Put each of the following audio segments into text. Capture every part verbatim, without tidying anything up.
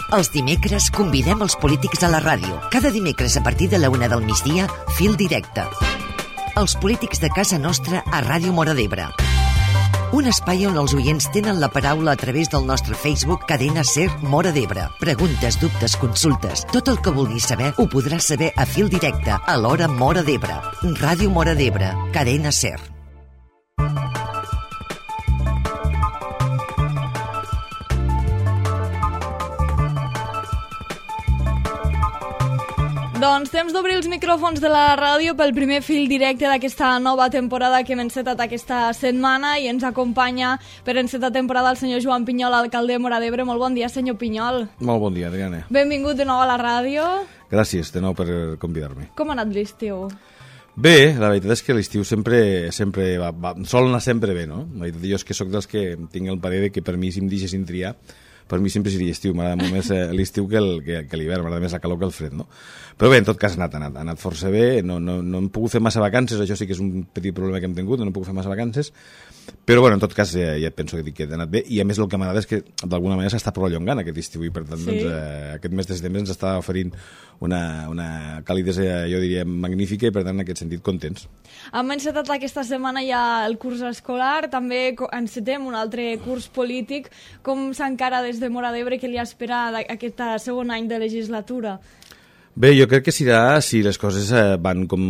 Els dimecres convidem els polítics a la ràdio. Cada dimecres a partir de la una del migdia, Fil Directe. Els polítics de casa nostra a Ràdio Móra d'Ebre. Un espai on els oients tenen la paraula a través del nostre Facebook Cadena Ser Móra d'Ebre. Preguntes, dubtes, consultes, tot el que vulguis saber ho podràs saber a Fil Directe a l'hora Móra d'Ebre. Ràdio Móra d'Ebre, Cadena Ser. Doncs temps d'obrir els micròfons de la ràdio pel primer fil directe d'aquesta nova temporada que hem encetat aquesta setmana i ens acompanya per encetar temporada el senyor Joan Pinyol, alcalde de Móra d'Ebre. Molt bon dia, senyor Pinyol. Molt bon dia, Adriana. Benvingut de nou a la ràdio. Gràcies de nou per convidar-me. Com ha anat l'estiu? Bé, la veritat és que l'estiu sempre, sempre va, va, sol anar sempre bé, no? La veritat jo és que sóc dels que tinc el parer de que per mi si em deixessin triar, per mi sempre seria estiu, m'agrada molt més l'estiu que, el, que, que l'hivern, m'agrada més la calor que el fred, no? Però bé, en tot cas ha anat, ha anat, ha anat força bé, no, no, no hem pogut fer massa vacances, això sí que és un petit problema que hem tingut, no hem pogut fer massa vacances, però bueno, en tot cas ja, ja penso que, que ha anat bé, i a més el que m'agrada és que d'alguna manera s'està prolongant aquest estiu, i per tant, sí. doncs, eh, aquest mes de setembre ens està oferint una, una calidesa, jo diria, magnífica, i per tant, en aquest sentit, contents. Hem encetat aquesta setmana ja el curs escolar, també encetem un altre curs polític. Com s'encara des de Móra d'Ebre que li espera aquest segon any de legislatura? Bé, jo crec que serà si les coses van com,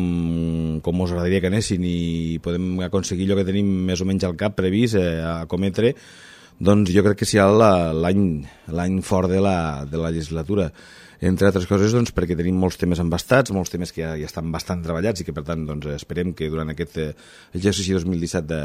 com us agradaria que anessin i podem aconseguir allò que tenim més o menys al cap previst eh, a cometre, doncs jo crec que serà l'any l'any fort de la, de la legislatura. Entre altres coses, doncs, perquè tenim molts temes embastats, molts temes que ja, ja estan bastant treballats i que, per tant, doncs, esperem que durant aquest eh, exercici dos mil disset de,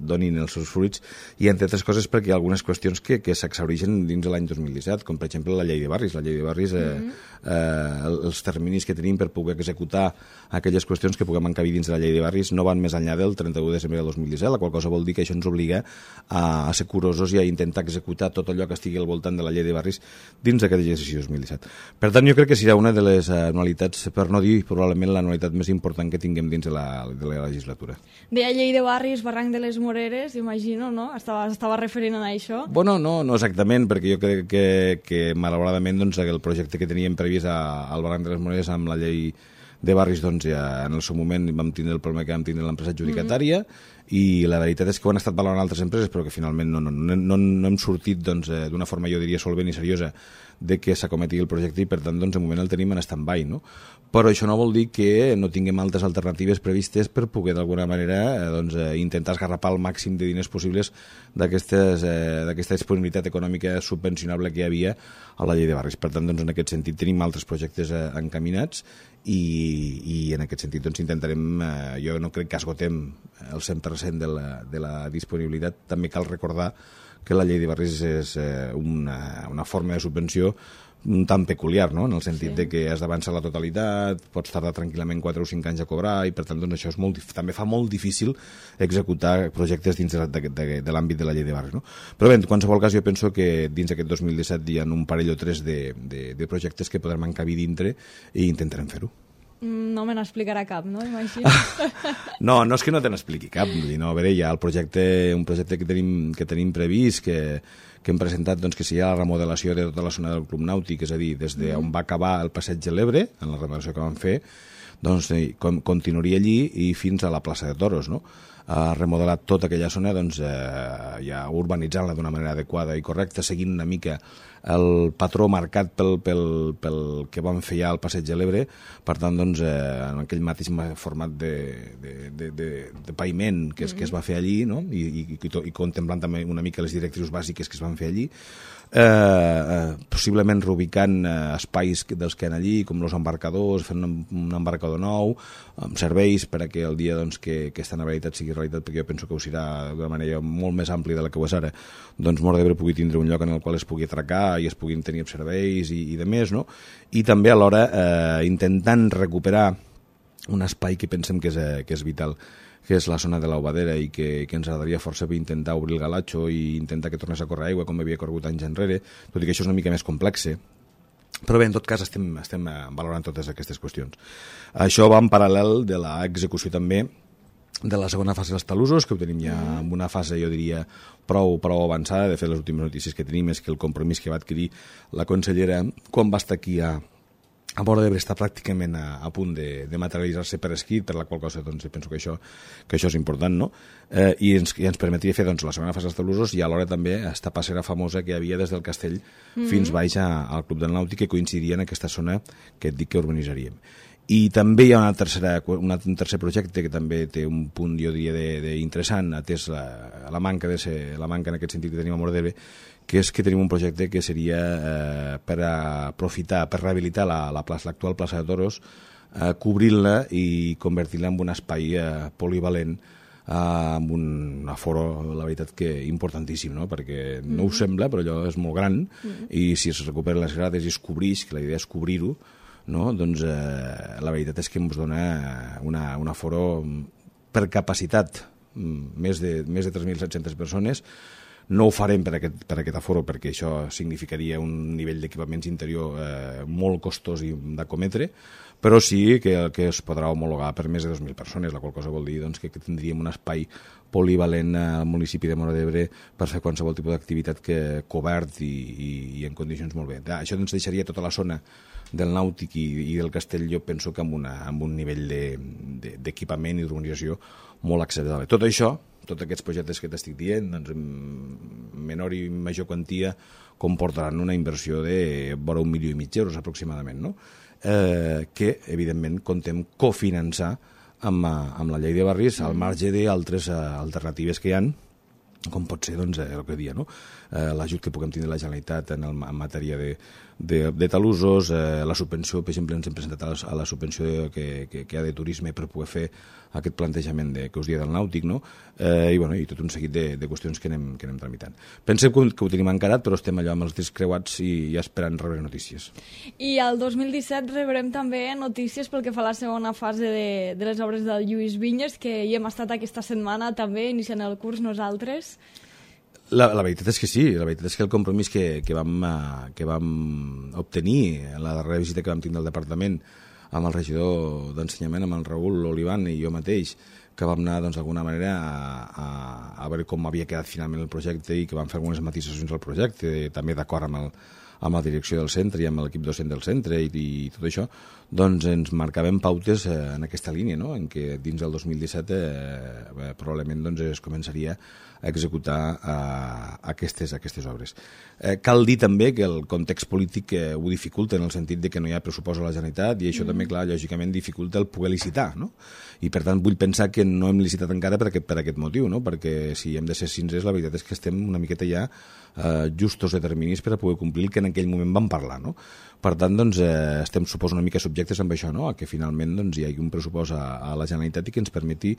donin els seus fruits, i, entre altres coses, perquè hi ha algunes qüestions que, que s'exhaureixen dins de l'any dos mil disset, com, per exemple, la llei de barris. La llei de barris, eh, mm-hmm. eh, els terminis que tenim per poder executar aquelles qüestions que puguem encabir dins de la llei de barris no van més enllà del trenta-u de desembre del dos mil disset, la qual cosa vol dir que això ens obliga a, a ser curosos i a intentar executar tot allò que estigui al voltant de la llei de barris dins d'aquest exercici dos mil disset. Per tant, jo crec que serà una de les anualitats, per no dir probablement l'anualitat més important que tinguem dins de la, de la legislatura. Deia llei de barris, barranc de les Moreres, imagino, no? Estava, estava referint a això? Bueno, no, no exactament, perquè jo crec que, que malauradament doncs, el projecte que teníem previst a, al barranc de les Moreres amb la llei de barris, doncs ja en el seu moment vam tindre el problema que vam tindre l'empresa adjudicatària, mm-hmm. i la veritat és que ho han estat valorant altres empreses, però que finalment no, no, no, no, no hem sortit doncs, d'una forma, jo diria, solvent i seriosa de que s'acometi el projecte, i per tant doncs, de moment el tenim en stand-by, no? Però això no vol dir que no tinguem altres alternatives previstes per poder d'alguna manera doncs, intentar esgarrapar el màxim de diners possibles d'aquesta eh, disponibilitat econòmica subvencionable que hi havia a la llei de barris. Per tant, doncs, en aquest sentit tenim altres projectes eh, encaminats i, i en aquest sentit doncs, intentarem, eh, jo no crec que esgotem el cent per cent de la, de la disponibilitat. També cal recordar que la llei de barris és eh, una, una forma de subvenció un tant peculiar, no? En el sentit sí. de que has d'avançar la totalitat, pots tardar tranquil·lament quatre o cinc anys a cobrar, i per tant doncs, això és molt, també fa molt difícil executar projectes dins de, de, de, de l'àmbit de la llei de barris, no? Però bé, en qualsevol cas jo penso que dins d'aquest dos mil disset hi ha un parell o tres de, de, de projectes que podrem encabir dintre i intentarem fer-ho. No me n'explicarà cap, no? Imagino. No, no és que no te n'expliqui cap. No, a veure, hi ha el projecte, un projecte que tenim, que tenim previst, que, que hem presentat, doncs, que seria la remodelació de tota la zona del Club Nàutic, és a dir, des de on va acabar el passeig de l'Ebre, en la remodelació que vam fer, doncs com, continuaria allí i fins a la plaça de Toros, no? Ha remodelat tota aquella zona, doncs, eh, ja urbanitzant-la d'una manera adequada i correcta, seguint una mica el patró marcat pel, pel, pel que vam fer ja al passeig de l'Ebre. Per tant, doncs, eh, en aquell mateix format de, de, de, de, de paviment que es, que es va fer allí, no? I, i, i, i contemplant també una mica les directrius bàsiques que es van fer allí, eh, eh, possiblement reubicant eh, espais dels que hi ha allí, com els embarcadors, fent un, un embarcador nou, amb serveis per a que el dia doncs, que, que esta realitat sigui realitat, perquè jo penso que ho serà d'una manera molt més àmplia de la que ho és ara, doncs Móra d'Ebre pugui tindre un lloc en el qual es pugui atracar i es puguin tenir serveis i, i de més, no? I també alhora eh, intentant recuperar un espai que pensem que és, eh, que és vital, que és la zona de l'Aubadera, i que, que ens agradaria força bé intentar obrir el galatxo i intentar que tornés a córrer aigua com havia corregut anys enrere, tot i que això és una mica més complex. Però bé, en tot cas estem, estem valorant totes aquestes qüestions. Això va en paral·lel de l'execució també de la segona fase dels talussos, que ho tenim ja en una fase, jo diria, prou, prou avançada. De fet, les últimes notícies que tenim és que el compromís que va adquirir la consellera quan va estar aquí a, a Móra d'Ebre està pràcticament a, a punt de, de materialitzar-se per escrit, per la qual cosa doncs, penso que això, que això és important, no? Eh, i, ens, I ens permetria fer doncs, la segona fase dels talussos i alhora també esta passera famosa que hi havia des del castell mm-hmm. fins baix a, al Club del Nàutic, que coincidiria en aquesta zona que et dic que urbanitzaríem. I també hi ha una tercera, una, un tercer projecte que també té un punt, jo diria, d'interessant, atès la, la, manca de ser, la manca en aquest sentit que tenim a Móra d'Ebre, que és que tenim un projecte que seria eh, per aprofitar, per rehabilitar la, la plaça, l'actual plaça de Toros, eh, cobrir-la i convertir-la en un espai eh, polivalent, eh, amb un aforo, la veritat, que importantíssim, no? Perquè no ho sembla, però allò és molt gran, mm-hmm. i si es recuperen les grades i es cobreix, que la idea és cobrir-ho, no? Doncs eh, la veritat és que ens dona una, un aforo per capacitat més de, més de tres mil set-centes persones. No ho farem per aquest, per aquest aforo perquè això significaria un nivell d'equipaments interior eh, molt costós i d'acometre, però sí que, que es podrà homologar per més de dos mil persones, la qual cosa vol dir doncs, que, que tindríem un espai polivalent al municipi de Móra d'Ebre per fer qualsevol tipus d'activitat que cobert i, i, i en condicions molt bé. Això ens deixaria tota la zona del Nàutic i, i del Castell, jo penso que amb, una, amb un nivell d'equipament de, de, i d'urbanització molt acceptable. Tot això, tots aquests projectes que t'estic dient, doncs, en menor i major quantia, comportaran una inversió de vora un milió i mig d'euros aproximadament, no? Eh, que, evidentment, contem cofinançar amb, amb la llei de barris al marge d'altres alternatives que hi ha, com pot ser doncs, el que dia, no? eh, l'ajut que puguem tindre la Generalitat en, el, en matèria de, de, de talussos, eh, la subvenció, per exemple, ens hem presentat a la, a la subvenció que, que, que hi ha de turisme per poder fer aquest plantejament de, que us dia del Nàutic, no? eh, i, bueno, i tot un seguit de, de qüestions que anem, que anem tramitant. Pensem que, que ho tenim encarat, però estem allò amb els discs creuats i, i esperant rebre notícies. I el dos mil disset rebrem també notícies pel que fa a la segona fase de, de les obres del Lluís Vinyes, que hi hem estat aquesta setmana també, iniciant el curs nosaltres. La, la veritat és que sí, la veritat és que el compromís que, que, vam, que vam obtenir en la darrera visita que vam tindre al departament amb el regidor d'Ensenyament, amb el Raül Olivan i jo mateix, que vam anar doncs, d'alguna manera a, a, a veure com havia quedat finalment el projecte i que vam fer algunes matisacions al projecte, també d'acord amb, el, amb la direcció del centre i amb l'equip docent del centre i, i tot això, doncs ens marcàvem pautes eh, en aquesta línia, no? En què dins del dos mil disset eh, probablement doncs, es començaria a executar eh, aquestes, aquestes obres. Eh, cal dir també que el context polític eh, ho dificulta en el sentit de que no hi ha pressupost a la Generalitat i això mm. també, clar, lògicament dificulta el poder licitar, no? I per tant vull pensar que no hem licitat encara per aquest, per aquest motiu, no? Perquè si hem de ser sincers, la veritat és que estem una miqueta ja eh, justos de terminis per a poder complir el que en aquell moment vam parlar, no? Per tant, doncs, eh, estem, suposo, una mica subjectes amb això, no? A que finalment doncs, hi hagi un pressupost a, a la Generalitat i que ens permeti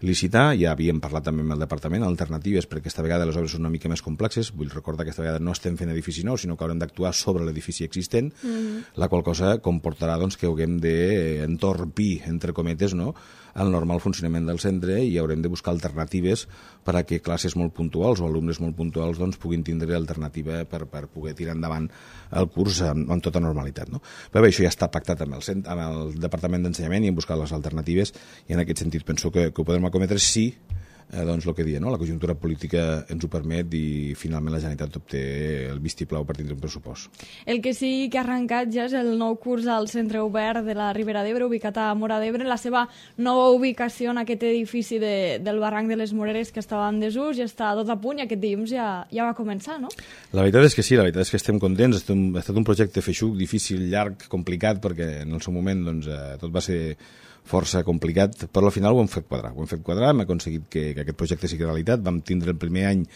licitar. Ja havíem parlat també amb el departament, alternatives, perquè aquesta vegada les obres són una mica més complexes. Vull recordar que aquesta vegada no estem fent edifici nou, sinó que haurem d'actuar sobre l'edifici existent, mm-hmm. la qual cosa comportarà doncs, que haguem d'entorpir, entre cometes, no?, el normal funcionament del centre i haurem de buscar alternatives per a que classes molt puntuals o alumnes molt puntuals doncs, puguin tindre alternativa per, per poder tirar endavant el curs amb, amb tota normalitat, no? Però bé, això ja està pactat amb el, cent, amb el Departament d'Ensenyament i hem buscat les alternatives i en aquest sentit penso que, que ho podem acometre si eh, doncs, el que dia, no? La conjuntura política ens ho permet i finalment la Generalitat obté el vistiplau per tindre un pressupost. El que sí que ha arrencat ja és el nou curs al Centre Obert de la Ribera d'Ebre, ubicat a Móra d'Ebre, la seva nova ubicació en aquest edifici de, del barranc de les Moreres que estava en desús, ja està tot a punt i aquest dilluns ja, ja va començar, no? La veritat és que sí, la veritat és que estem contents, ha estat un projecte feixuc, difícil, llarg, complicat, perquè en el seu moment doncs, eh, tot va ser força complicat, però al final ho hem fet quadrar. Ho hem fet quadrar, hem aconseguit que, que aquest projecte sigui realitat. Vam tindre el primer any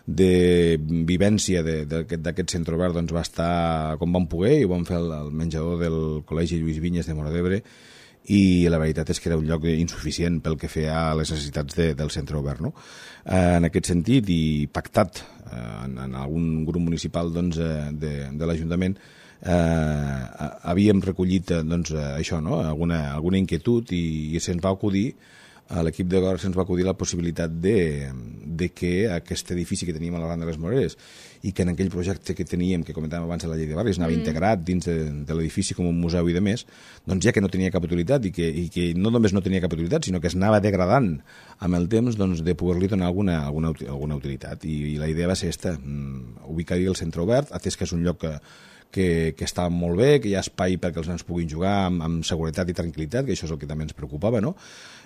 de vivència d'aquest centre obert, doncs va estar com vam poder i ho vam fer al, al menjador del Col·legi Lluís Vinyes de Móra d'Ebre i la veritat és que era un lloc insuficient pel que feia a les necessitats de, del centre obert, no? Eh, en aquest sentit i pactat eh, en, en algun grup municipal doncs, de, de l'Ajuntament Eh, havíem recollit doncs, això, no? alguna, alguna inquietud i, i se'ns va acudir a l'equip de govern se'ns va acudir la possibilitat de, de que aquest edifici que teníem a la Rambla de les Moreres i que en aquell projecte que teníem, que comentàvem abans a la llei de barris, anava mm. integrat dins de, de l'edifici com un museu i de més, doncs ja que no tenia cap utilitat i que, i que no només no tenia cap utilitat, sinó que es anava degradant amb el temps, doncs de poder-li donar alguna, alguna, alguna utilitat. I, i la idea va ser esta, ubicar-hi el centre obert, atès que és un lloc que Que, que està molt bé, que hi ha espai perquè els nens puguin jugar amb, amb seguretat i tranquil·litat, que això és el que també ens preocupava, no?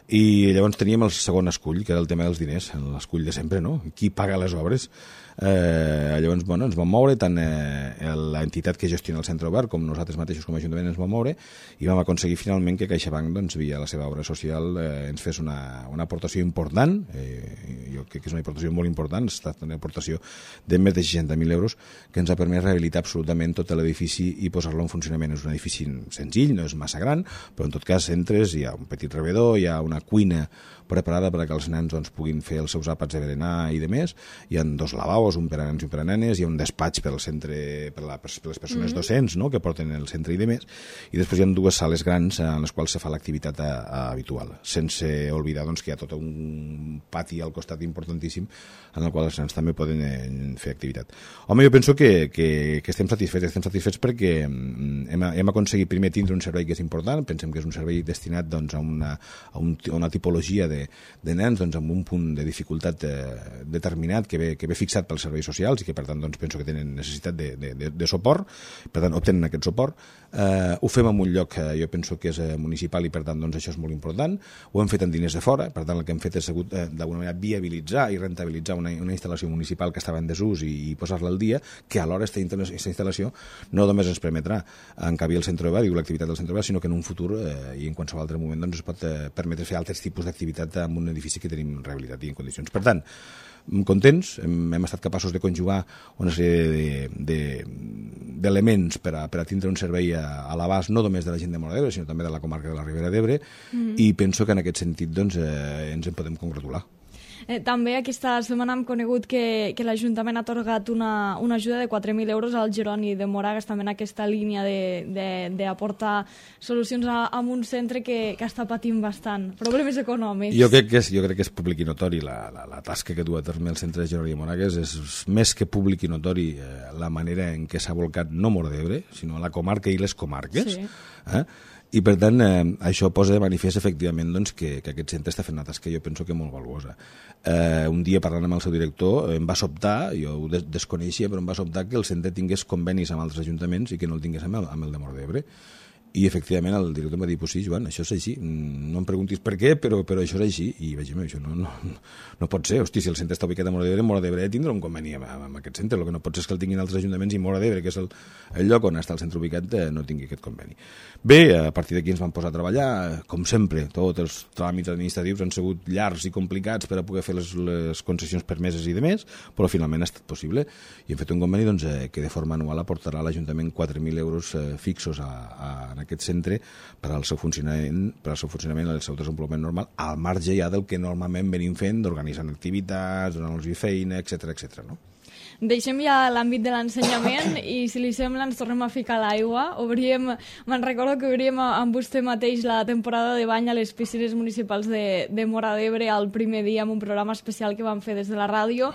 I llavors teníem el segon escull, que era el tema dels diners, l'escull de sempre, no? Qui paga les obres? Eh, llavors, bueno, ens vam moure, tant eh, l'entitat que gestiona el centre obert com nosaltres mateixos com a Ajuntament ens vam moure i vam aconseguir finalment que CaixaBank, doncs, via la seva obra social, eh, ens fes una, una aportació important, eh, jo crec que és una aportació molt important, ha estat una aportació de més de seixanta mil euros que ens ha permès rehabilitar absolutament tot l'edifici i posar-lo en funcionament. És un edifici senzill, no és massa gran, però en tot cas entres, hi ha un petit rebedor, hi ha una cuina preparada perquè els nens doncs, puguin fer els seus àpats de berenar i de més, hi ha dos lavabos, un per a nens i un per a nenes, hi ha un despatx per al centre, per, la, per les persones mm-hmm. docents, no?, que porten el centre i de més, i després hi ha dues sales grans en les quals se fa l'activitat a, a habitual, sense oblidar doncs, que hi ha tot un pati al costat importantíssim en el qual els nens també poden eh, fer activitat. Home, jo penso que, que, que estem satisfets, estem satisfets perquè hem, hem aconseguit primer tindre un servei que és important, pensem que és un servei destinat doncs, a, una, a, un, a una tipologia de, de nens doncs, amb un punt de dificultat eh, determinat que ve, que ve fixat pels serveis socials i que per tant doncs, penso que tenen necessitat de, de, de, de suport, per tant obtenen aquest suport. Eh, ho fem en un lloc que jo penso que és eh, municipal i per tant doncs, això és molt important. Ho hem fet amb diners de fora, per tant el que hem fet és hagut eh, d'alguna manera viabilitzar i rentabilitzar una, una instal·lació municipal que estava en desús i, i posar-la al dia, que alhora aquesta instal·lació no només ens permetrà encabir el centre obert i l'activitat del centre obert, sinó que en un futur eh, i en qualsevol altre moment doncs, es pot eh, permetre fer altres tipus d'activitat amb un edifici que tenim rehabilitat i en condicions. Per tant, contents, hem, hem estat capaços de conjugar una sèrie d'elements per, a, per a tindre un servei a, a l'abast no només de la gent de Móra d'Ebre, sinó també de la comarca de la Ribera d'Ebre, mm. i penso que en aquest sentit doncs, eh, ens en podem congratular. Eh, també aquesta setmana hem conegut que, que l'Ajuntament ha atorgat una, una ajuda de quatre mil euros al Jeroni de Moragas, també en aquesta línia d'aportar solucions a, a un centre que, que està patint bastant. Problemes econòmics. Jo crec que és, jo crec que és públic i notori la, la, la tasca que du a terme el centre de Jeroni de Moragas. És més que públic i notori eh, la manera en què s'ha volcat no Móra d'Ebre, sinó la comarca i les comarques. Sí. Eh? I, per tant, eh, això posa de manifest, efectivament, doncs, que, que aquest centre està fent una tasca que jo penso que molt valuosa. Eh, un dia, parlant amb el seu director, em va sobtar, jo ho des desconeixia, però em va sobtar que el centre tingués convenis amb altres ajuntaments i que no el tingués amb el, amb el de Móra d'Ebre. I, efectivament, el director em va dir, pues sí, Joan, això és així. No em preguntis per què, però, però això és així. I vaig dir, això no, no, no pot ser. Hosti, si el centre està ubicat a Móra d'Ebre, Móra d'Ebre tindrà un conveni amb, amb aquest centre. El que no pot ser és que el tinguin altres ajuntaments i Móra d'Ebre, que és el, el lloc on està el centre ubicat, eh, no tingui aquest conveni. Bé, a partir d'aquí ens vam posar a treballar, com sempre. Tots els tràmits administratius han sigut llargs i complicats per a poder fer les, les concessions permeses i demés, però finalment ha estat possible. I hem fet un conveni doncs, eh, que de forma anual aportarà a l'Ajuntament quatre mil euros eh, fixos a, a, en aquest centre per al seu funcionament, per al seu funcionament, el seu desenvolupament normal, al marge ja del que normalment venim fent, d'organitzant activitats, donant-los feina, etcètera, etcètera, no? Deixem ja l'àmbit de l'ensenyament i, si li sembla, ens tornem a ficar a l'aigua. Obríem, me'n recordo que obríem amb vostè mateix la temporada de bany a les piscines municipals de, de Móra d'Ebre el primer dia amb un programa especial que vam fer des de la ràdio.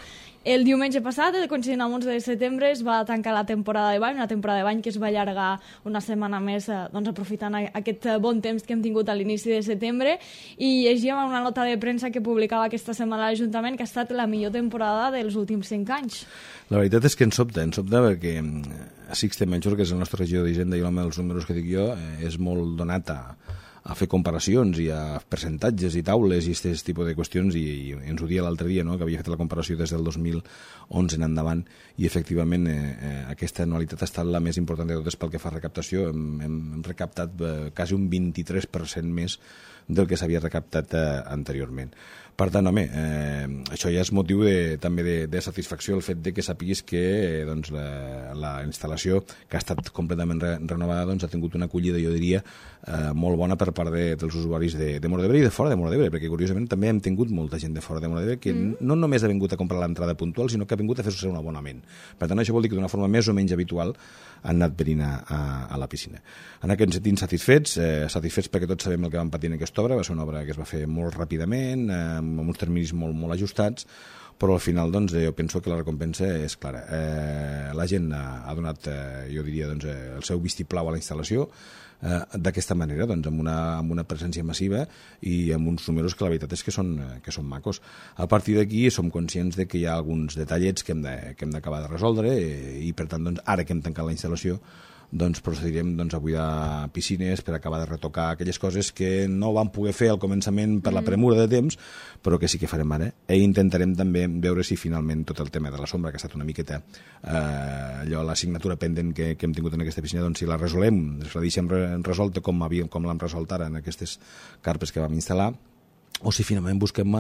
El diumenge passat, coincidint amb onze de setembre, es va tancar la temporada de bany, una temporada de bany que es va allargar una setmana més, doncs, aprofitant aquest bon temps que hem tingut a l'inici de setembre, i llegíem una nota de premsa que publicava aquesta setmana l'Ajuntament que ha estat la millor temporada dels últims cinc anys. La veritat és que ens sobta, ens sobta perquè Sixte Menchor, que és el nostre regidor d'Hisenda i l'home dels números que dic jo, és molt donat a a fer comparacions i a percentatges i taules i aquest tipus de qüestions, i, i ens ho dia l'altre dia, no?, que havia fet la comparació des del dos mil onze en endavant, i efectivament eh, eh, aquesta anualitat ha estat la més important de totes pel que fa a recaptació. Hem, hem recaptat eh, quasi un vint-i-tres per cent més del que s'havia recaptat eh, anteriorment. Per tant, home, eh, això ja és motiu de, també de, de satisfacció, el fet de que sàpiguis que eh, doncs, la, la instal·lació, que ha estat completament re, renovada, doncs, ha tingut una acollida, jo diria, eh, molt bona per part de, dels usuaris de, de Móra d'Ebre i de fora de Móra d'Ebre, perquè curiosament també hem tingut molta gent de fora de Móra d'Ebre que mm. no només ha vingut a comprar l'entrada puntual, sinó que ha vingut a fer-se un abonament. Per tant, això vol dir que d'una forma més o menys habitual han anat venint a, a, a la piscina. En aquest sentit, satisfets, eh, satisfets perquè tots sabem el que vam patir en aquesta obra, va ser una obra que es va fer molt ràpidament, eh, amb uns terminis molt, molt ajustats, però al final doncs, jo penso que la recompensa és clara. Eh, la gent ha, ha donat, eh, jo diria, doncs, eh, el seu vistiplau a la instal·lació eh, d'aquesta manera, doncs, amb, una, amb una presència massiva i amb uns números que la veritat és que són, que són macos. A partir d'aquí som conscients de que hi ha alguns detallets que hem de, que hem d'acabar de resoldre eh, i per tant, doncs, ara que hem tancat la instal·lació, doncs procedirem doncs, a buidar piscines per acabar de retocar aquelles coses que no vam poder fer al començament per la premura de temps, però que sí que farem ara. I intentarem també veure si finalment tot el tema de la sombra, que ha estat una miqueta eh, allò, l'assignatura pendent que, que hem tingut en aquesta piscina, doncs si la resolem, si la deixem resolta com, havíem, com l'hem resolt ara en aquestes carpes que vam instal·lar, o si finalment busquem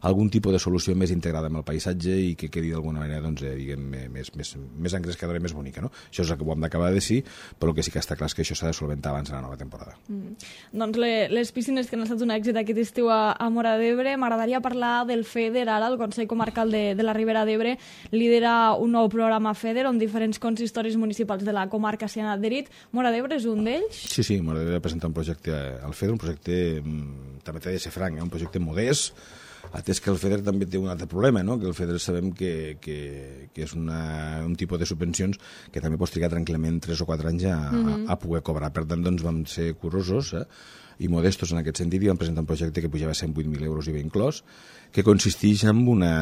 algun tipus de solució més integrada amb el paisatge i que quedi d'alguna manera doncs, eh, diguem, més, més, més engrescadora i més bonica. No? Això és el que ho hem d'acabar de decidir, però el que sí que està clar és que això s'ha de solventar abans de la nova temporada. Mm. Doncs le, les piscines que han estat un èxit aquest estiu a, a Móra d'Ebre, m'agradaria parlar del FEDER ara, el Consell Comarcal de, de la Ribera d'Ebre lidera un nou programa FEDER on diferents consistoris municipals de la comarca s'hi han adherit. Móra d'Ebre és un d'ells? Sí, sí, Móra d'Ebre presenta un projecte al FEDER, un projecte, també t'he de ser franc, eh, un projecte modest, atès que el FEDER també té un altre problema, no? Que el FEDER sabem que, que, que és una, un tipus de subvencions que també pots trigar tranquil·lament tres o quatre anys a, mm-hmm. a, a poder cobrar. Per tant, doncs, vam ser curosos eh? i modestos en aquest sentit i vam presentar un projecte que pujava cent vuit mil euros i ben inclòs, que consisteix en, una,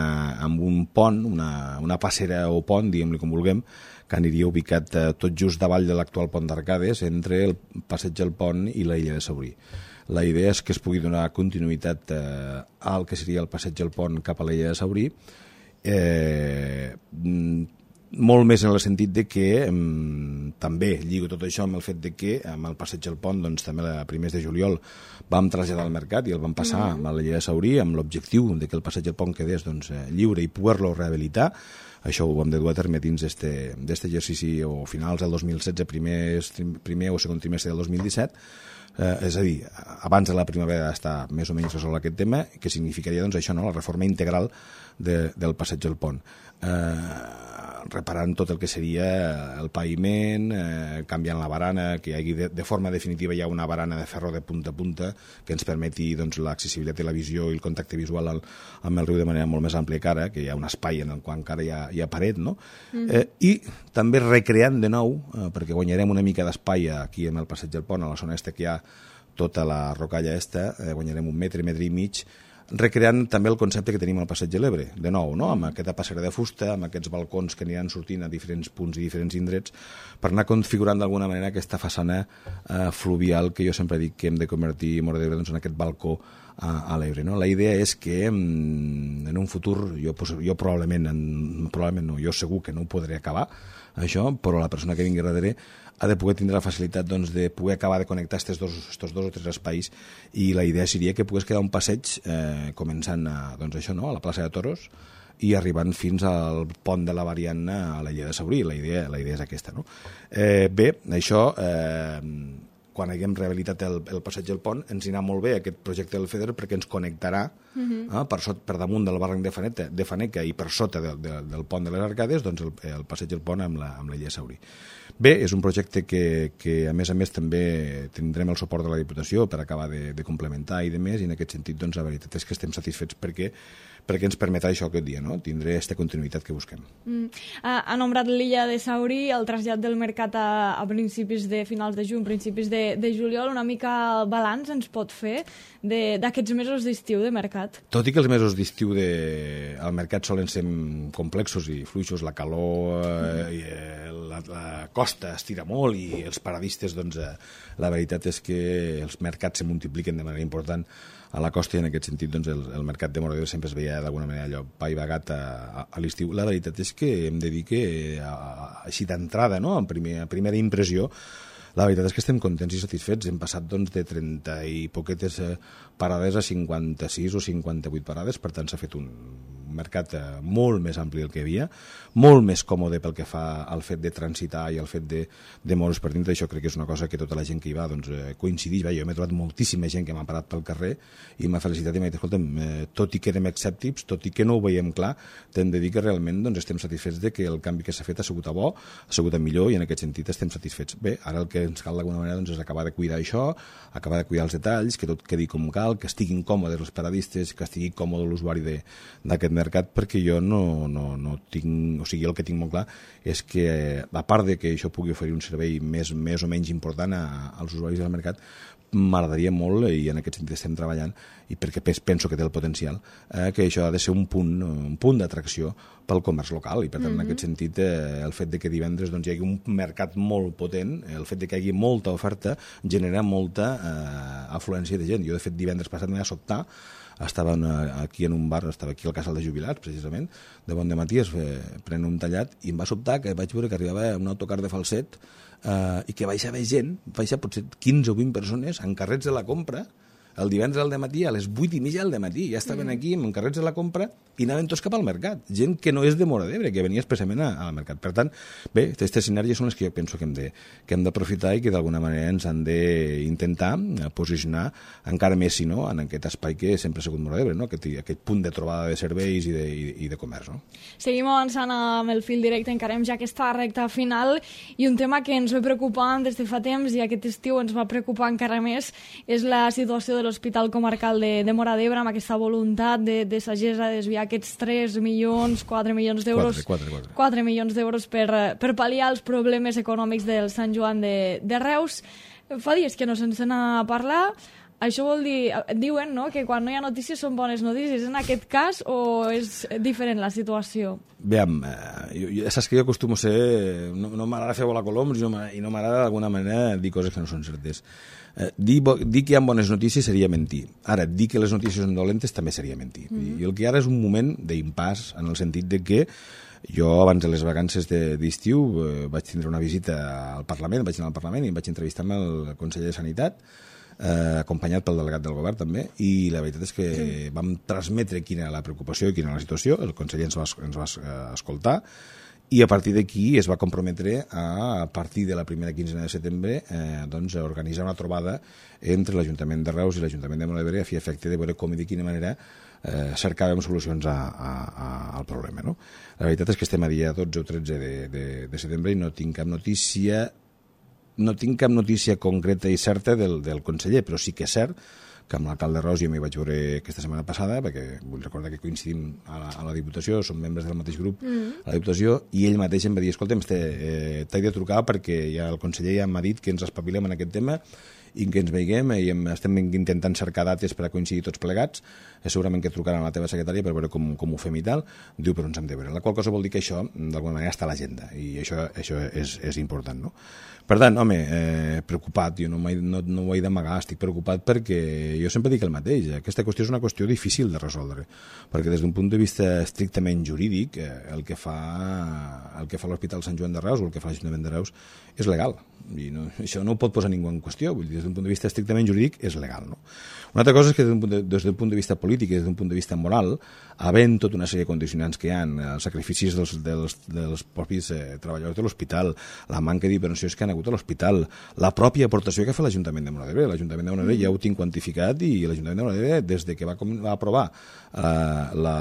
en un pont, una, una passera o pont, diguem-li com vulguem, que aniria ubicat eh, tot just davall de l'actual pont d'Arcades, entre el passeig del Pont i la illa de Saurí. La idea és que es pugui donar continuïtat eh, al que seria el passeig del Pont cap a l'illa de Saurí, eh, molt més en el sentit de que eh, també lligo tot això amb el fet de que amb el passeig del Pont, doncs també a primers de juliol vam traslladar al mercat i el vam passar mm. a l'illa de Saurí amb l'objectiu de que el passeig del Pont quedés doncs, lliure i poder-lo rehabilitar. Això ho hem de dur a terme dins d'aquest exercici o finals del dos mil setze, primer, primer o segon trimestre del dos mil disset, eh, és a dir, abans de la primavera està més o menys resolt aquest tema, que significaria doncs, això, no? La reforma integral de, del passeig del Pont. Eh, reparant tot el que seria el paviment, eh, canviant la barana, que hi hagi de, de forma definitiva hi ha una barana de ferro de punta a punta que ens permeti doncs, l'accessibilitat i la visió i el contacte visual al, amb el riu de manera molt més àmplia que ara, que hi ha un espai en el qual encara hi ha, hi ha paret, no? Mm-hmm. eh, i també recreant de nou, eh, perquè guanyarem una mica d'espai aquí en el passeig del Pont, a la zona esta que hi ha tota la rocalla esta, eh, guanyarem un metre, metre i mig, recreant també el concepte que tenim al passeig de l'Ebre, de nou, no? Amb aquesta passera de fusta, amb aquests balcons que aniran sortint a diferents punts i diferents indrets, per anar configurant d'alguna manera aquesta façana eh, fluvial que jo sempre dic que hem de convertir Móra d'Ebre doncs, en aquest balcó a, a l'Ebre. No? La idea és que mm, en un futur, jo, jo probablement, en, probablement no, jo segur que no ho podré acabar, això, però la persona que vingui darrere ha de poder tindre la facilitat doncs, de poder acabar de connectar aquests dos, estos dos o tres espais i la idea seria que pogués quedar un passeig eh, començant a, doncs això, no? a la plaça de Toros i arribant fins al pont de la Variant a la illa de Saurí. La idea, la idea és aquesta. No? Eh, bé, això... Eh, quan haguem rehabilitat el, el passeig del pont, ens anirà molt bé aquest projecte del FEDER perquè ens connectarà uh-huh. eh, per, sot, per damunt del barranc de Faneca, de Faneca i per sota de, de, del pont de les Arcades, doncs el, el passeig del pont amb la, amb la illa de Saurí. Bé, és un projecte que, que a més a més també tindrem el suport de la Diputació per acabar de, de complementar i de més, i en aquest sentit doncs, la veritat és que estem satisfets perquè perquè ens permetrà això aquest dia, no? Tindré aquesta continuïtat que busquem. Mm. Ha nombrat l'illa de Saurí, el trasllat del mercat a, a principis de finals de juny, principis de, de juliol, una mica balanç ens pot fer d'aquests mesos d'estiu de mercat? Tot i que els mesos d'estiu de... al mercat solen ser complexos i fluixos, la calor, eh, i, eh, la, la costa estira molt i els paradistes, doncs, eh, la veritat és que els mercats se multipliquen de manera important a la costa i en aquest sentit doncs, el, el mercat de Móra d'Ebre sempre es veia d'alguna manera allò paivagat a, a, a l'estiu. La veritat és que hem de dir que a, a, així d'entrada, no? en primer, a primera impressió, la veritat és que estem contents i satisfets. Hem passat doncs, de trenta i poquetes eh, parades a cinquanta-sis o cinquanta-vuit parades, per tant s'ha fet un un mercat molt més ampli del que hi havia, molt més còmode pel que fa al fet de transitar i al fet de, de moure's per dintre. Això crec que és una cosa que tota la gent que hi va doncs, coincideix. Va, jo m'he trobat moltíssima gent que m'ha parat pel carrer i m'ha felicitat i m'ha dit, escolta'm, eh, tot i que érem escèptics, tot i que no ho veiem clar, t'hem de dir que realment doncs, estem satisfets de que el canvi que s'ha fet ha sigut a bo, ha sigut a millor i en aquest sentit estem satisfets. Bé, ara el que ens cal d'alguna manera doncs, és acabar de cuidar això, acabar de cuidar els detalls, que tot quedi com cal, que estiguin còmodes els paradistes, que estigui còmode l'usuari d'aquest mercat, perquè jo no, no, no tinc... O sigui, el que tinc molt clar és que, a part de que això pugui oferir un servei més, més o menys important a, als usuaris del mercat, m'agradaria molt, i en aquest sentit estem treballant, i perquè penso que té el potencial, eh, que això ha de ser un punt, un punt d'atracció pel comerç local, i per tant, mm-hmm. en aquest sentit, eh, el fet de que divendres doncs, hi hagi un mercat molt potent, el fet de que hi hagi molta oferta, genera molta eh, afluència de gent. Jo, de fet, divendres passat m'he de sobtar, estava aquí en un bar, estava aquí al Casal de Jubilats, precisament, de bon dematí, es pren un tallat, i em va sobtar que vaig veure que arribava un autocar de Falset eh, i que baixava gent, baixa potser quinze o vint persones en carrets de la compra, el divendres al dematí, a les vuit i mitja del dematí, ja estaven aquí amb carrets de la compra i anaven tots cap al mercat. Gent que no és de Móra d'Ebre, que venia expressament al mercat. Per tant, bé, aquestes sinergies són les que jo penso que hem de, que hem d'aprofitar i que d'alguna manera ens han d'intentar posicionar encara més, si no, en aquest espai que sempre ha sigut Móra d'Ebre, no? aquest, aquest punt de trobada de serveis i de, i, i de comerç. No? Seguim avançant amb el fil directe, encarem ja aquesta recta final, i un tema que ens ve preocupant des de fa temps i aquest estiu ens va preocupar encara més és la situació de l'Hospital Comarcal de, de Móra d'Ebre, amb aquesta voluntat de, de Sagessa de desviar aquests tres milions, quatre milions d'euros, quatre milions d'euros per, per pal·liar els problemes econòmics del Sant Joan de, de Reus. Fa dies que no se'n sent a parlar. Això vol dir, diuen, no?, que quan no hi ha notícies són bones notícies. En aquest cas, o és diferent la situació? Veiem, eh, jo, saps que jo acostumo a ser... No, no m'agrada fer volar coloms i no m'agrada d'alguna manera dir coses que no són certes. Eh, dir, dir que hi ha bones notícies seria mentir. Ara, dir que les notícies són dolentes també seria mentir. Mm-hmm. I el que ara és un moment d'impàs, en el sentit de que jo, abans de les vacances d'estiu, eh, vaig tindre una visita al Parlament, vaig anar al Parlament i em vaig entrevistar amb el conseller de Sanitat, eh, acompanyat pel delegat del govern també, i la veritat és que sí. vam transmetre quina era la preocupació i quina era la situació, el conseller ens va, ens va escoltar, i a partir d'aquí es va comprometre a, a partir de la primera quinzena de setembre eh, doncs, a organitzar una trobada entre l'Ajuntament de Reus i l'Ajuntament de Móra d'Ebre a fi efecte de veure com i de quina manera eh, cercàvem solucions a, a, a, al problema. No? La veritat és que estem a dia dotze o tretze de, de, de setembre i no tinc cap notícia no tinc cap notícia concreta i certa del, del conseller, però sí que és cert que amb l'alcalde Ros jo m'hi vaig veure aquesta setmana passada, perquè vull recordar que coincidim a la, a la Diputació, som membres del mateix grup mm. a la Diputació, i ell mateix em va dir, escolta'm, eh, t'he de trucar perquè ja el conseller ja m'ha dit que ens espavilem en aquest tema i que ens veiguem i estem intentant cercar dates per a coincidir tots plegats, eh, segurament que trucaran a la teva secretària per veure com, com ho fem i tal, diu, però ens hem de veure. La qual cosa vol dir que això, d'alguna manera, està a l'agenda, i això, això és, és important, no? Per tant, home, eh, preocupat, jo no, no, no ho he d'amagar, estic preocupat perquè jo sempre dic el mateix, aquesta qüestió és una qüestió difícil de resoldre, perquè des d'un punt de vista estrictament jurídic, eh, el que fa el que fa l'Hospital Sant Joan de Reus o el que fa l'Ajuntament de Reus és legal, i no, això no ho pot posar ningú en qüestió, vull dir, des d'un punt de vista estrictament jurídic és legal, no? Una altra cosa és que des d'un punt de, des d'un punt de vista polític i des d'un punt de vista moral, havent tota una sèrie de condicionants que hi ha, els sacrificis dels, dels, dels propis eh, treballadors de l'hospital, la manca d'inversions que han hagut a l'hospital, la pròpia aportació que fa l'Ajuntament de Móra d'Ebre. L'Ajuntament de Móra d'Ebre ja ho tinc quantificat i l'Ajuntament de Móra d'Ebre, des de que va, va aprovar eh, la,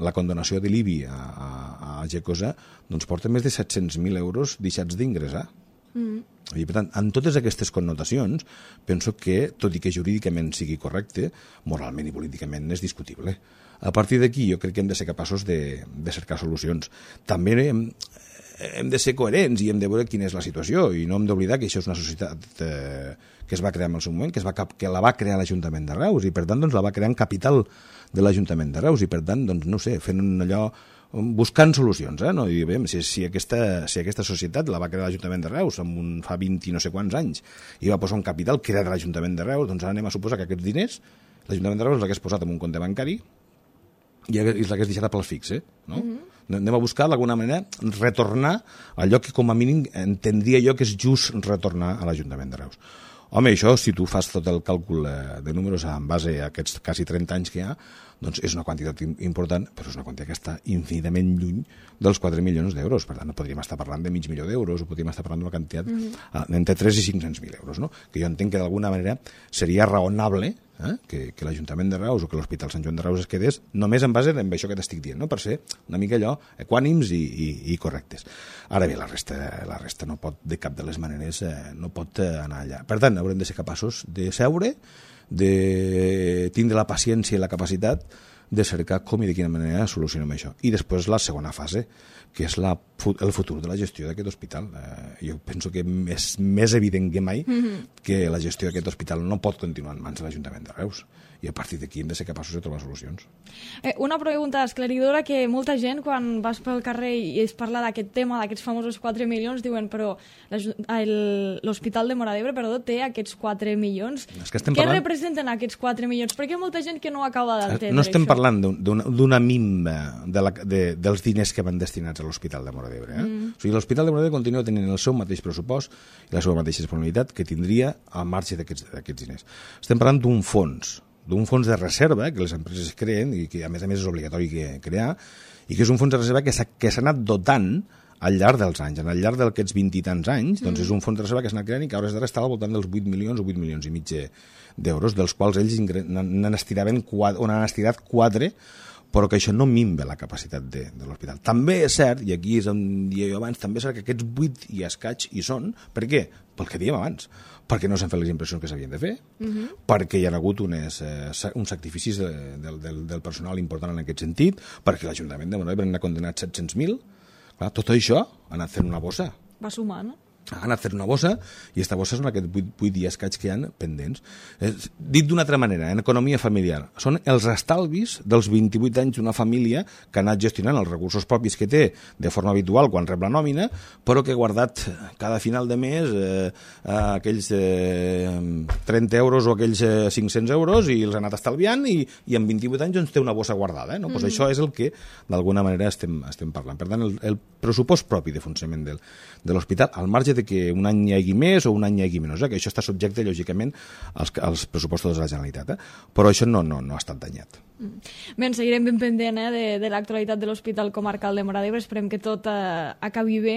la condonació de l'I B I a, a, a Gecosa, doncs porta més de set-cents mil euros deixats d'ingressar. Mm. I, per tant, en totes aquestes connotacions, penso que, tot i que jurídicament sigui correcte, moralment i políticament és discutible. A partir d'aquí, jo crec que hem de ser capaços de, de cercar solucions. També hem, hem de ser coherents i hem de veure quina és la situació, i no hem d'oblidar que això és una societat eh, que es va crear en el seu moment, que, es va, que la va crear l'Ajuntament de Reus, i per tant doncs, la va crear en capital de l'Ajuntament de Reus, i per tant, doncs, no sé, fent allò buscant solucions, eh? No? I, bé, si, si, aquesta, si aquesta societat la va crear l'Ajuntament de Reus amb un, fa vint i no sé quants anys i va posar un capital que era de l'Ajuntament de Reus, doncs ara anem a suposar que aquests diners l'Ajuntament de Reus l'hagués posat en un compte bancari i l'hagués deixat a pal fix, eh? No? Mm-hmm. Anem a buscar d'alguna manera retornar allò que com a mínim entendria jo que és just retornar a l'Ajuntament de Reus. Home, això, si tu fas tot el càlcul de números en base a aquests quasi trenta anys que hi ha, doncs és una quantitat important, però és una quantitat que està infinitament lluny dels quatre milions d'euros. Per tant, no podríem estar parlant de mig milió d'euros, o podríem estar parlant d'una quantitat mm-hmm. entre tres i cinc-cents mil euros, no? Que jo entenc que d'alguna manera seria raonable eh? que, que l'Ajuntament de Reus o que l'Hospital Sant Joan de Reus es quedés només en base en això que t'estic dient, no? Per ser una mica allò equànims i, i, i correctes. Ara bé, la resta, la resta no pot, de cap de les maneres, eh, no pot eh, anar allà. Per tant, haurem de ser capaços de seure, de tindre la paciència i la capacitat de cercar com i de quina manera solucionem això. I després la segona fase, que és la, el futur de la gestió d'aquest hospital. Eh, jo penso que és més evident que mai mm-hmm. que la gestió d'aquest hospital no pot continuar en mans de l'Ajuntament de Reus. I a partir d'aquí hem de ser capaços de trobar solucions. Eh, una pregunta esclaridora, que molta gent, quan vas pel carrer i es parla d'aquest tema, d'aquests famosos quatre milions, diuen, però l'Hospital de Móra d'Ebre, perdó, té aquests quatre milions. És que Què parlant... representen aquests quatre milions? Perquè hi ha molta gent que no acaba d'entendre No estem això. parlant d'una minva de la, de, dels diners que van destinats a l'Hospital de Móra d'Ebre. Eh? Mm. O sigui, l'Hospital de Móra d'Ebre continua tenint el seu mateix pressupost i la seva mateixa disponibilitat que tindria al marge d'aquests diners. Estem parlant d'un fons d'un fons de reserva que les empreses creen i que a més a més és obligatori que crear, i que és un fons de reserva que s'ha anat dotant al llarg dels anys. Al llarg d'aquests vint i tants anys, doncs és un fons de reserva que s'ha anat creant i que a hores d'ara està al voltant dels vuit milions o vuit milions i mig d'euros, dels quals ells n'han estiraven quatre, o n'han estirat quatre, però que això no minva la capacitat de, de l'hospital. També és cert, i aquí és on dèiem abans, també és cert que aquests vuit i escaig hi són. Per què? Pel que dèiem abans. Perquè no s'han fet les impressions que s'havien de fer, uh-huh. perquè hi ha hagut unes, eh, uns sacrificis de, de, del, del personal important en aquest sentit, perquè l'Ajuntament de Móra d'Ebre n'ha condemnat set-cents mil. Clar, tot això ha anat fent una bossa. Va sumar, no? Ha anat fent una bossa, i aquesta bossa són aquests vuit, vuit i escaig que hi ha pendents. Eh, dit d'una altra manera, en economia familiar, són els estalvis dels vint-i-vuit anys d'una família que ha anat gestionant els recursos propis que té de forma habitual quan rep la nòmina, però que ha guardat cada final de mes eh, aquells eh, trenta euros o aquells eh, cinc-cents euros i els ha anat estalviant i, i en vint-i-vuit anys doncs, té una bossa guardada. Eh, no? Mm. Pues això és el que d'alguna manera estem, estem parlant. Per tant, el, el pressupost propi de funcionament del, de l'hospital, al marge de que un any hi hagi més o un any hi hagi menys, eh? que això està subjecte, lògicament, als, als pressupostos de la Generalitat. Eh? Però això no, no, no ha estat danyat. Bé, ens seguirem ben pendent eh, de, de l'actualitat de l'Hospital Comarcal de Móra d'Ebre. Esperem que tot eh, acabi bé.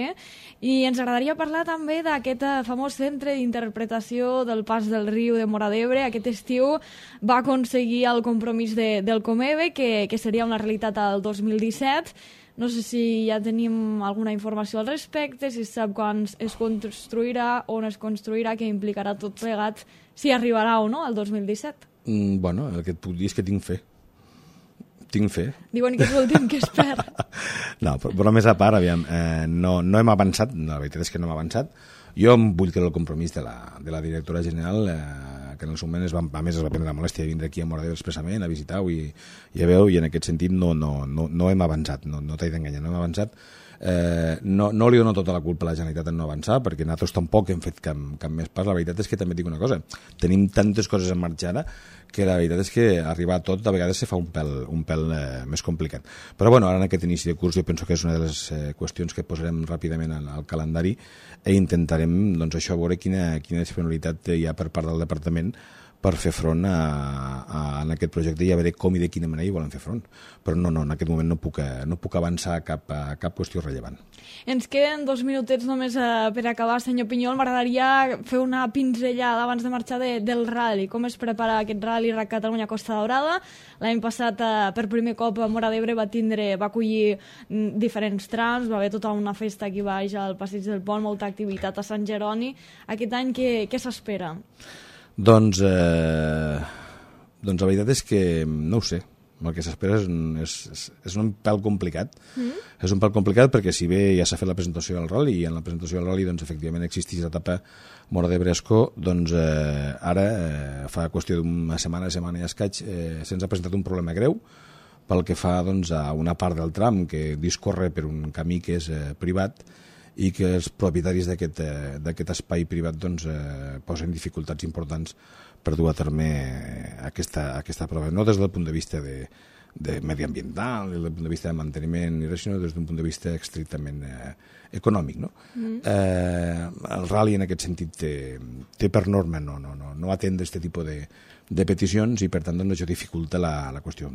I ens agradaria parlar també d'aquest eh, famós centre d'interpretació del Pas del Riu de Móra d'Ebre. Aquest estiu va aconseguir el compromís de, del Comeve, que, que seria una realitat al dos mil disset. No sé si ja tenim alguna informació al respecte, si sap quan es construirà, on es construirà, què implicarà tot plegat, si arribarà o no al dos mil disset. Mm, bueno, el que et puc dir és que tinc fe. Tinc fe. Diuen que és l'últim que es perd. No, però, però més a part, aviam, eh, no, no hem avançat, la veritat és que no hem avançat. Jo em vull creure el compromís de la, de la directora general, eh, que en el seu moment es va, a més es va prendre la molèstia de vindre aquí a Móra d'Ebre expressament a visitar-ho i, i a veure, i en aquest sentit no, no, no, no hem avançat, no, no t'he d'enganyar, no hem avançat. Eh, no, no li dono tota la culpa a la Generalitat en no avançar, perquè nosaltres tampoc hem fet cap, cap més pas. La veritat és que també dic una cosa, tenim tantes coses en marxa ara que la veritat és que arribar a tot a vegades se fa un pèl, un pèl eh, més complicat. Però bueno, ara en aquest inici de curs jo penso que és una de les eh, qüestions que posarem ràpidament al, al calendari i intentarem doncs, això, veure quina, quina disponibilitat hi ha per part del departament per fer front a, a, a aquest projecte i a veure com i de quina manera hi volen fer front. Però no, no, en aquest moment no puc, no puc avançar a cap, a cap qüestió rellevant. Ens queden dos minutets només eh, per acabar, senyor Pinyol. M'agradaria fer una pinzellada abans de marxar de, del rally. Com es prepara aquest rally RAC Catalunya Costa Daurada? L'any passat, eh, per primer cop, Móra d'Ebre va tindre, va acollir mm, diferents trams, va haver tota una festa aquí baix al Passeig del Pont, molta activitat a Sant Jeroni. Aquest any què, què s'espera? Doncs, eh, doncs la veritat és que no ho sé. El que s'espera és, és, és, és un pèl complicat. Mm. És un pèl complicat perquè si bé ja s'ha fet la presentació del rally i en la presentació del rally doncs, efectivament existeix l'etapa Móra d'Ebre Escó, doncs eh, ara eh, fa qüestió d'una setmana, setmana i escaig, eh, se'ns ha presentat un problema greu pel que fa doncs, a una part del tram que discorre per un camí que és eh, privat i que els propietaris d'aquest eh, espai privat doncs, eh, posen dificultats importants per dur a terme aquesta, aquesta prova, no des del punt de vista de, de mediambiental, des del punt de vista de manteniment i res, sinó des d'un punt de vista estrictament eh, econòmic. No? Mm. Eh, el rally en aquest sentit té, té per norma no, no, no, no atendre aquest tipus de, de peticions i per tant doncs, això dificulta la, la qüestió.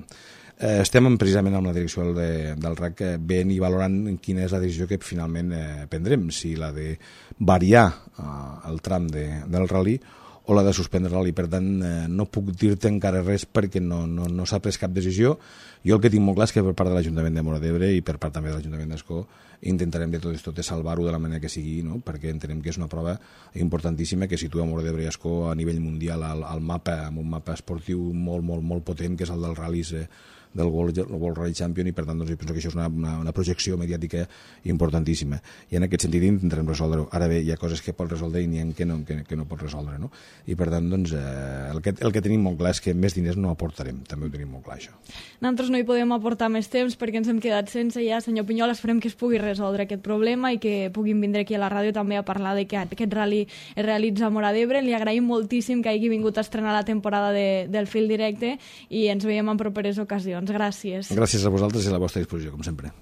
Eh, estem precisament amb la direcció de, del R A C veient i valorant quina és la decisió que finalment eh, prendrem, si la de variar eh, el tram de, del rally o la de suspendre el rally. Per tant, eh, no puc dir-te encara res perquè no, no, no s'ha pres cap decisió. Jo el que tinc molt clar és que per part de l'Ajuntament de Móra d'Ebre i per part també de l'Ajuntament d'Ascó intentarem de tot tot de salvar-ho de la manera que sigui, no? Perquè entenem que és una prova importantíssima que situa Móra d'Ebre i Ascó a nivell mundial al, al mapa, amb un mapa esportiu molt, molt, molt potent, que és el dels ral·lis eh, del World, World Rally Champion, i per tant doncs, penso que això és una, una, una projecció mediàtica importantíssima, i en aquest sentit intentarem resoldre-ho. Ara bé, hi ha coses que pot resoldre i n'hi ha que no, que, que no pot resoldre, no? I per tant doncs, eh, el, que, el que tenim molt clar és que més diners no aportarem, també ho tenim molt clar, això. Nosaltres no hi podem aportar més temps perquè ens hem quedat sense ja. Senyor Pinyol, esperem que es pugui resoldre aquest problema i que puguin vindre aquí a la ràdio també a parlar de que aquest rally es realitza a Móra d'Ebre. Li agraïm moltíssim que hagi vingut a estrenar la temporada de, del Fil Directe i ens veiem en properes ocasions. Gràcies. Gràcies a vosaltres i a la vostra disposició, com sempre.